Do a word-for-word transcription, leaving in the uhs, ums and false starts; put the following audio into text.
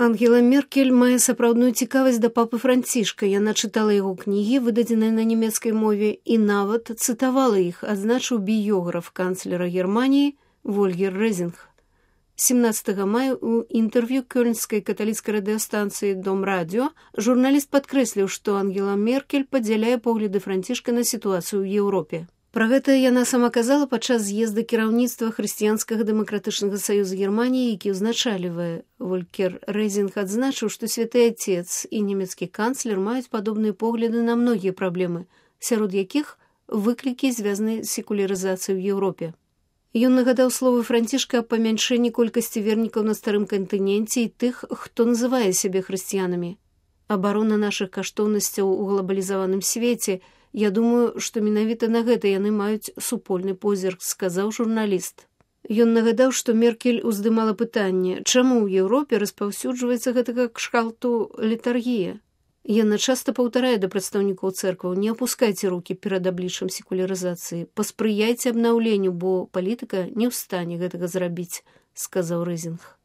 Ангела Меркель мае сапраўдную цікавасць да папы Францішка. Яна чытала яго кнігі, выдадзеныя на нямецкай мове, і нават цытавала іх, адзначыў біёграф канцлера Германіі Вольгер Резинг. семнадцатага мая у інтэрв'ю кёльнскай каталіцкай радыёстанцыі «Дом радіо» журналіст падкрэсліў, што Ангела Меркель падзяляе погляды Францішка на сітуацыю ў Еўропе. Пра гэта яна сама казала падчас з'езда кіраўніцтва Хрысціянскага дэмакратычнага саюза Германіі, які ўзначальвае. Вольгер Резинг адзначыў, што святы Отец і нямецкі канцлер маюць падобныя погляды на многія праблемы, сярод якіх выклікі звязаныя з секулярызацыяй у Еўропе. Ён нагадаў словы Францішка аб памяншэнні колькасці вернікаў на старым кантыненце і тых, хто называе сябе хрысціянамі. Абарона нашых каштоўнасцяў у глобалізаваным свеце. Я думаю, што менавіта на гэта яны маюць супольны позірк, сказаў журналіст. Ён нагадаў, што Меркель уздымала пытанне, чаму ў Еўропе распаўсюджваецца гэтага кшталту летаргія. Яна часта паўтарае да прадстаўнікоў цэркваў: не апускайце рукі перад абліччам секулярызацыі, паспрыяйце абнаўленню, бо палітыка не ў стане гэтага зрабіць, сказаў Резинг.